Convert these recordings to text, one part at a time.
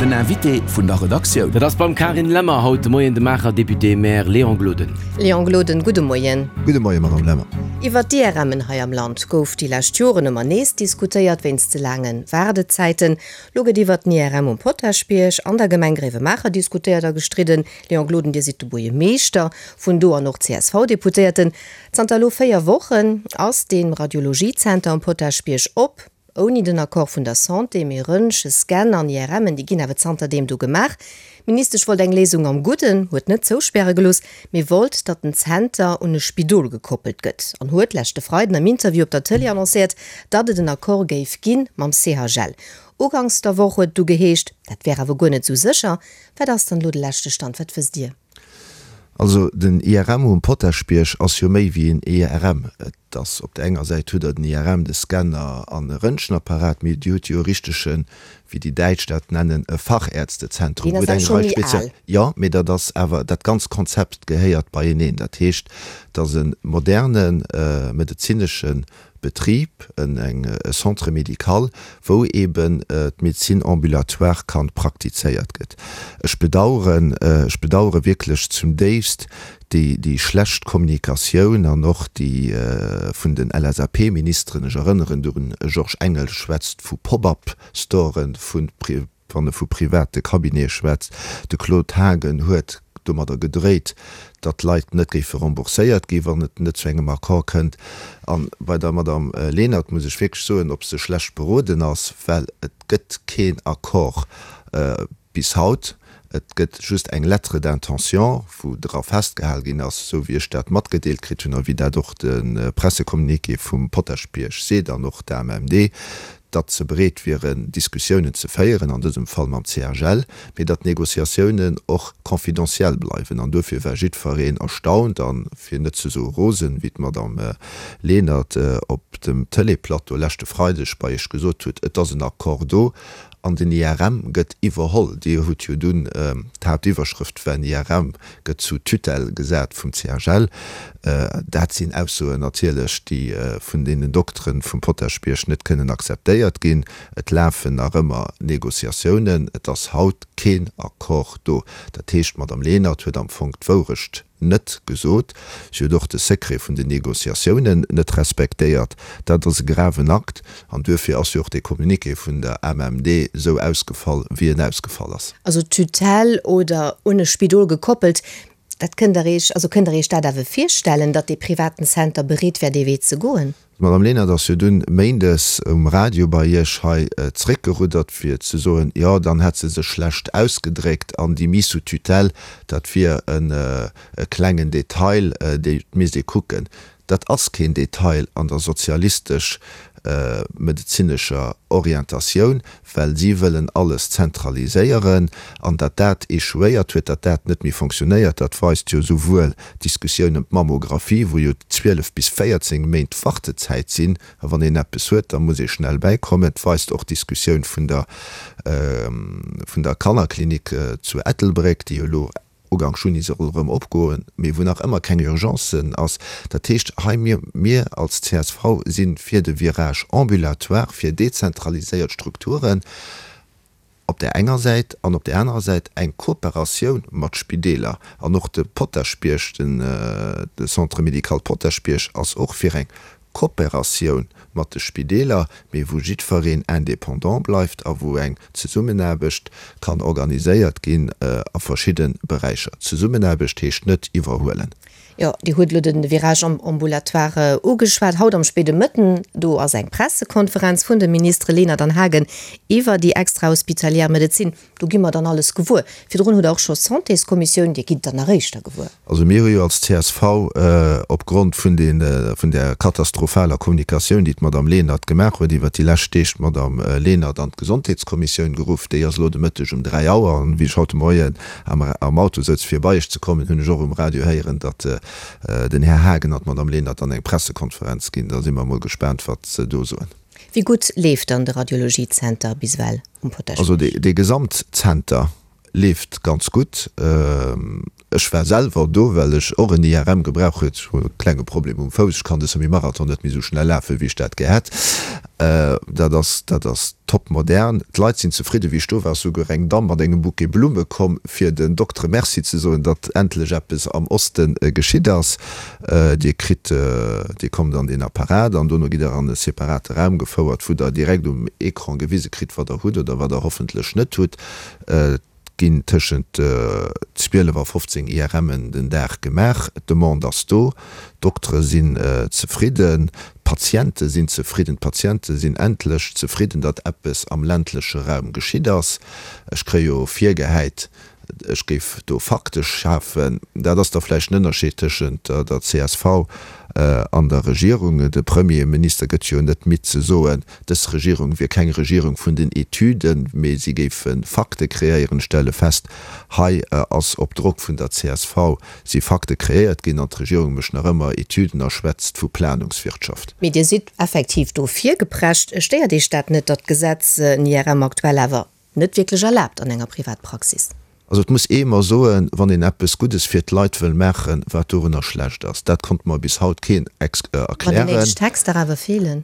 Den Invité vun der Redaktioun. Dat ass beim Carine Lemmer haut de Moien de Maacher Député-Maire Léon Gloden. Léon Gloden, gudde Moien. Gudde Moien, Madame Lemmer. Iwwer d'IRMen hei am Land gouf déi lescht Joren ëmmer nees diskutéiert, wéinst ze laange Waardezäiten. Lo gëtt iwwert den IRM um Potaschbierg an der Gemeng Gréiwemaacher diskutéiert a gestridden. Léon Gloden, Dir sidd de Buergermeeschter vun do an och CSV-Deputéierten. Zanter elo 4 Wochen ass dee Radiologiezenter um Potaschbierg op, ouni den Accord vun der Santé. Mee Röntgen, Scan an IRMen, déi ginn awer zanterdeem do gemaach. D'Ministesch wollt eng Léisung am Gudden, huet net zouspäre gelooss, mee wollt, datt den Zenter un e Spidol gekoppelt gëtt an huet leschte Freiden am Interview op der Tëlee annoncéiert, datt et en Accord géif gi mam CHL. Uganks der Woch huet et du geheescht, dat wär awer guer net esou sécher. Wat ass dann elo de leschte Stand? Wat wësst Dir? Also den IRM um Potaschbierg ass jo méi wéi en IRM. Et ass op der enger Säit hutt Der den IRM, de Scanner an e Röntgenapparat, mee Dir hutt jo e richtegen, wéi déi Däitsch dat nennen, e Fachärztezentrum, Deen wou ass awer eng scho Rei méi Spezial. al. Jo, mee dat ass awer, dat ganzt Konzept gehéiert beieneen. Dat heescht, et ass e moderne medezinesche Betrib, en e Centre médical, wou eben d'Médecine ambulatoire kann praktizéiert gëtt. Ech bedauern, ech bedauere wierklech zum déifst déi, déi schlecht Kommunikatioun an och déi vun den LSAP-Ministeren, ech erënneren dorun, e Georges Engel schwätzt vu Pop-up-Storen, vu Wann e vu private Cabinete schwätzt, de Claude Haagen huet domadder gedréit, datt d'Leit net géife rembourséiert ginn, wann et net zu engem Accord kënnt. A bei der Madame Lenert muss ech wierklech soen, ob se schlecht beroden ass, well et gëtt keen Accord bis haut. Et gëtt just eng Lettre d'intention, wou dra festgehal ginn ass, esou wéi ech dat matgedeelt kritt hunn a wéi dat och de Pressecommuniqué vum Potaschbierg seet an och d'AMMD, datt se bereet wieren, Diskussiounen ze féieren, an dësem Fall mam CHL, mee datt d'Negociatiounen och confidentiel bleiwen. An duerfir war jiddfereen erstaunt an, fir net ze soe rosen, wéi d'Madame Lenert op dem Tëleeplateau leschte Freideg bei Iech gesot huet, Et ass en Accord do an den IRM gëtt iwwerholl. Dir hutt jo dunn, d'Haaptiwwerschrëft war, den IRM gëtt sous tutelle gesat vum CHL. Dat sinn Aussoen natierlech, déi vun deenen Dokteren vum Potaschbierg net kënnen akzeptéiert ginn. Et lafen nach ëmmer Négociatiounen. Et ass haut keen Accord do. Dat heescht, d'Madame Lenert huet am Fong d'Wourecht net gesot. Si huet och de Secret vun den Négociatiounen net respektéiert. Dat ass e graven Akt. An duerfir ass jo och dee Communiqué vun der AMMD esou ausgefall, wéi en ausgefall ass. Also Tutelle oder un e Spidol gekoppelt, dat kënnt Der Iech, also kënnt Der Iech dat awer virstellen, datt dee privaten Center bereet wär, dee Wee ze goen? D'Madame Lenert ass jo dunn méindes um Radio bei Iech hei zréckgeruddert, fir ze soen, jo, dann hätt se sech schlecht ausgedréckt an déi Mise sous tutelle, dat wier e klengen Detail, dee misst ee kucken. Dat ass keen Detail an der sozialistesch medezinescher Orientatioun, well si wëllen alles zentraliséieren. An datt dat échouéiert huet, datt dat net méi fonctionnéiert, dat weist jo souwuel d'Diskussioun ëm d'Mammographie, wou jo 12 bis 14 Méint Wartezäit sinn, a wann een eppes huet, da muss ee schnell bäikommen. Et weist och d'Diskussioun vun der vun der Kannerklinik zu Ettelbréck, déi jo elo Ugank Juni soll erëm opgoen, mee wou nach ëmmer keng Urgence ass. Dat heescht, hei mir, mir als csv si fir de Virage ambulatoire, fir dezentraliséiert Strukturen op där enger Säit an op där anerer Säit eng Kooperatioun mat Spideeler. An och de Potaschbierg, den de Centre médical Potaschbierg ass och fir eng Kooperatioun mat de Spideeler, mee wou jiddfereen indépendant bleift a wou eng Zesummenaarbecht kann organiséiert ginn a verschidde Beräicher. Zesummenaarbecht heescht net iwwerhuelen. Jo, Dir hutt elo de Virage ambulatoire ugeschwat. Haut am spéide Mëtten, do ass eng Pressekonferenz vun de Ministere Lenert an Haagen iwwer déi extrahospitalière Medezin. Do gi mer dann alles gewuer. Virdrun hutt Der och scho Santéskommissioun, Dir gitt dann nach éischter gewuer. Also mir hu jo als csv opgrond vun den, vun där katastrophaler Kommunikatioun, déi d'Madame Lenert gemaach huet iwwert déi lescht Deeg, d'Madame Lenert an d'Gesondheetskommissioun geruff. Déi ass elo de Mëtteg um 3 Auer. An wéi ech haut de Moien am am Auto souz fir bei Iech ze kommen, hunn ech och um Radio héieren, datt den Här Haagen an d'Madame Lenert dann eng Pressekonferenz ginn. Da si mer emol gespaant, wat se do soen. Wéi gutt leeft dann de Radiologiezenter bis ewell um Potaschbierg? Also dee Gesamtzenter leeft ganz gutt. Ech war selwer do, well ech och en IRM gebraucht huet. Ech hunn e klenge Problem um Fouss, ech kann de Semi-Marathon net méi esou schnell lafen, wéi ech dat gär hätt. Dat ass, dat ass top modern. D'Leit sinn zefridden. Wéi ech do war, ass souguer eng Damm mat engem Bouquet Blumme komm, fir den Doktere Merci ze soen, datt endlech eppes am Oste geschitt ass. Dir kritt, Dir kommt an deen Apparat an dono gitt Der an e separate Raum gefouert, wou Der direkt um Ecran gewise kritt, wat Der hutt oder wat Der hoffentlech net hutt. Ginn tëschent 12 a 15 IRMen den Dag gemaach. D'Demande ass do, d'Doktere sinn zefridden, d'Patiente sinn zefridden. D'Patiente sinn endlech zefridden, datt eppes am ländleche Raum geschitt ass. Ech kréie jo virgehäit, ech géif do Fakte schafen. Dat ass da vläicht en Ënnerscheed tëschent der csv an der Regierung. De Premierminister gëtt jo net midd ze soen, Dës Regierung wier keng Regierung vun den Etüden, mee si géife Fakte kreéieren. Ech stelle fest, hei ass op Drock vun der csv si Fakte kreéiert ginn an d'Regierung mécht nach ëmmer Etüden a schwätzt vu Planungswirtschaft. Mee Dir sidd effektiv do virgeprescht. Stéiert Iech dat net, datt d'Gesetz en IRM aktuell awer Net wierklech erlaabt an enger Privatpraxis. Also et muss ee mer soen, wann een eppes Guddes fir d'Leit wëll maachen, wat dorunner schlecht ass, dat konnt mer bis haut keen erklären. Wann déi néideg Texter awer feelen.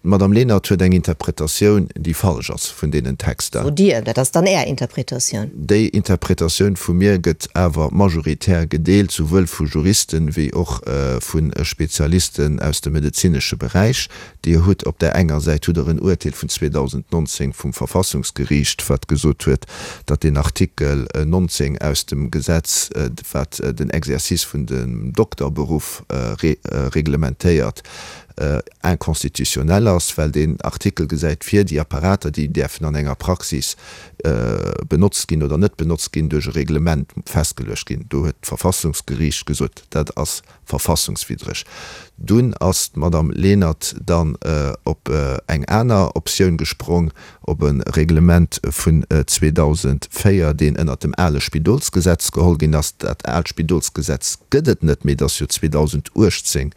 D'Madame Lenert huet eng Interpretatioun, déi falsch ass vun deenen Texter. Sot Dir, dat ass dann Är Interpretatioun. Déi Interpretatioun vu mir gëtt awer majoritär gedeelt, souwuel vu Juristen wéi och vu Spezialisten aus dem medezinesche Beräich. Dir hutt op där enger Säit hutt Der en Uerteel vun 2019 vum Verfassungsgeriicht, wat gesot huet, datt deen Artikel 19 aus dem Gesetz, wat den Exercice vun dem Dokterberuff reglementéiert, inconstitutionnel ass, well deen Artikel gesäit vir, déi Apparater, déi däerfen an enger Praxis benotzt ginn oder net benotzt ginn, duerch e Reglement festgeluecht ginn. Do huet d'Verfassungsgeriicht gesot, dat ass verfassungswiddreg. Dunn ass d'Madame Lenert dann op eng aner Optioun gesprong, op e Reglement vun 2004, deen ënnert dem ale Spidolsgesetz geholl ginn ass. Dat aalt Spidolsgesetz gëtt et net méi, et ass jo 2018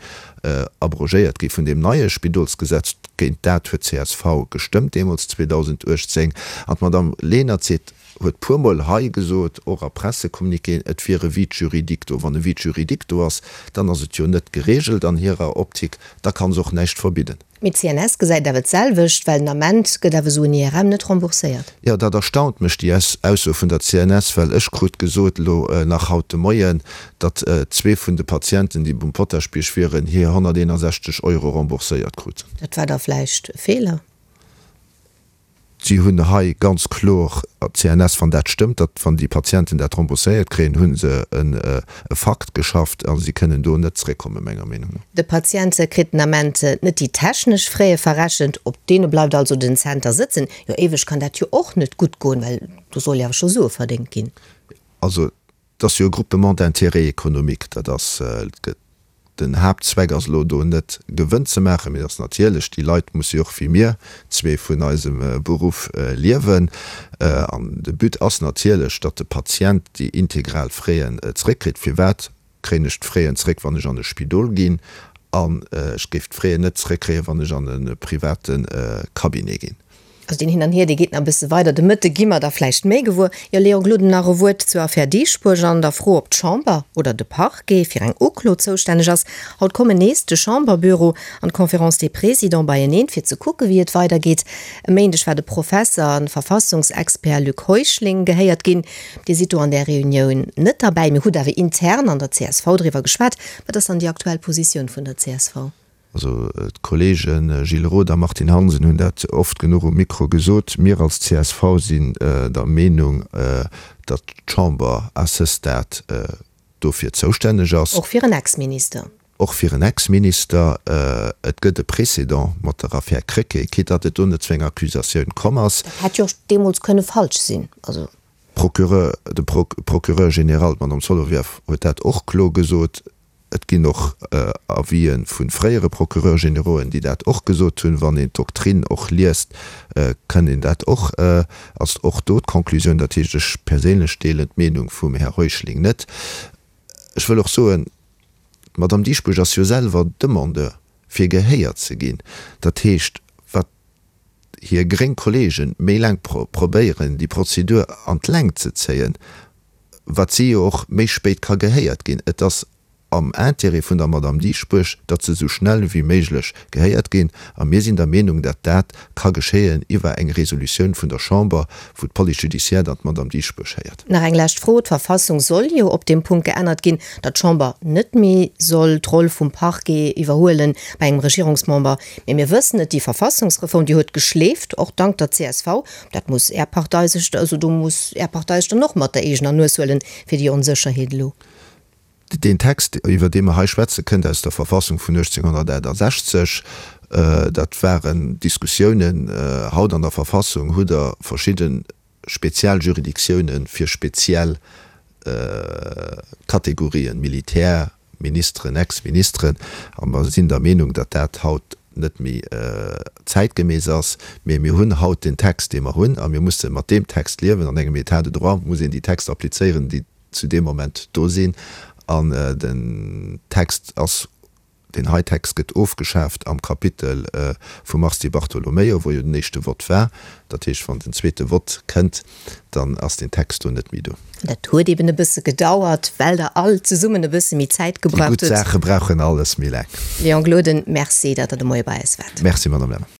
abrogéiert gi vun deem neie Spidolsgesetz. Géint dat huet csv gestëmmt deemools 2018. An d'Madame Lenert seet, huet puermol hei gesot, och a Pressecommuniquéen, et wier e Vide juridique do. Wann e Vide juridique do ass, dann ass et jo net geregelt an hirer Optik, da ka se och näischt verbidden. Mee d'CNS gesäit awer d'selwecht, well den Ament gëtt awer esou en IRM net rembourséiert. Jo, dat erstaunt mech, déi Ausso vun der CNS, well ech krut gesot, elo nach haut de Moien, datt zwee vun de Patienten, déi um Potaschbierg wieren, hir 161 Euro rembourséiert kruten. Dat war da vläicht e Feeler? Si hunn hei ganz kloer, d'CNS, wann dat stëmmt, datt wann déi Patienten dat rembourséiert kréien, hu se e Fakt geschafft a si kënnen do net zréckkommen, menger Meenung no. De Patient kritt den Ament net déi technesch Fräe verrechent, op deene bleift also den Zenter sëtzen. Jo, éiweg kann dat jo och net gutt goen, well do soll jo awer scho Sue verdéngt ginn. Also Et ass jo e Groupement d'intérêt économique, dat ass, den Haaptzweck ass elo do net Gewënn ze maachen, mee et ass natierlech, déi Leit musse jo och wéi mir zwee vun eisem Beruff liewen. An de But ass natierlech, datt de Patient déi integral Fräen zréckkritt. Firwat kréien ech d'Fräen zréck, wann ech an e Spidol ginn, an ech géif d'Fräen net zréckkréien, wann ech an e private Cabinet ginn? Also deen Hin an Hier, dee geet nach e bësse weider. De Mëtte gi mer da vläicht méi gewuer. Jo, Léon Gloden, nach e Wuert zur Affär Dieschbourg an der Fro, ob d'Chamber oder de Parquet fir eng Uklo zoustänneg ass. Haut kommen nees de Chamberbüro an d'Conférence des Présidents beieneen, fir ze kucke wéi et weidergeet. E Méindeg war de Professer an Verfassungsexpert Luc Heuschling gehéiert ginn. Dir sidd do an där Reunioun net derbäi, mee hutt awer intern an der csv driwwer geschwat. Wat ass dann déi aktuell Positioun vun der csv? Also d'Kollege Gilles Roth a Martine Hansen hunn dat oft genuch um Mikro gesot. Mir als csv sinn der Meenung, datt d'Chamber à ce stade dofir zoustänneg ass. Och fir en Ex-Minister. Och fir en Ex-Minister. Et gëtt e Précédent mat der Affär Krecké, quitte datt et do net zu enger Accusatioun komm ass. Dat hätt jo och deemools kënne falsch sinn. Also. Procureur, de Procureur général, d'Madame Solovieff, huet dat och kloer gesot. Et ginn och Avisë vu fréiere Procureurs générauxen, déi dat och gesot hunn. Wann een d'Doktrinn och liest, kënnt een dat och, ass och do d'Conclusioun. Dat heescht, ech perséinlech deelen d'Meenung vum Här Heuschling net. Ech wëll och soen, d'Madame Dieschbourg ass jo selwer Demandeur, fir gehéiert ze ginn. Dat heescht, wat hir gréng Kollegen méi laang probéieren, déi Prozedur an d'Längt ze zéien. wat si jo och méi spéit ka gehéiert ginn. Et ass am Intérêt vun der Madame Dieschbourg, datt se esou schnell wéi méiglech gehéiert ginn. A mir sinn der Meenung, datt dat ka geschéien iwwer eng Resolutioun vun der Chamber, wou d'Police judiciaire dann d'Madame Dieschbourg héiert. Nach eng lescht Fro, D'Verfassung soll jo op deem Punkt geännert ginn, datt d'Chamber net méi soll d'Roll vum Parquet iwwerhuelen bei engem Regierungsmember. Mee mir wëssen et, déi Verfassungsreform, déi huet geschleeft, och dank der csv. Dat muss Är Partei sech, also do muss Är Partei sech dann och mat der eegener Nues huelen, fir déi Onsécherheet elo. Deen Text, iwwer dee mer hei schwätzen, kënnt aus der Verfassung vun 1868. Dat waren Diskussiounen. Haut an der Verfassung hutt Der verschidde spezial Juridictiounen fir speziell Kategorien, Militär, Ministeren, Ex-Ministeren. A mer sinn der Meenung, datt dat haut net méi zäitgemäss ass. Mee mir hunn haut den Text, dee mer hunn, a mir musse mat deem Text liewen. An engem État de droit muss een déi Texter applizéieren, déi zu deem Moment do sinn. An den Text ass, deen hei Text gëtt ofgeschaaft am Kapitel vum Mars Di Bartolomeo, wou jo den éischte Vott war. Dat heescht, wann den zweete Vott kënnt, dann ass deen Text do net méi do. Dat huet eben e bësse gedauert, well Der all zesummen e bësse méi Zäit Déi gebraucht gutt hutt. Saache brauchen alles méi laang. Léon Gloden, Merci, datt Der de Moie bei eis waart. Merci, Madame Lemmer.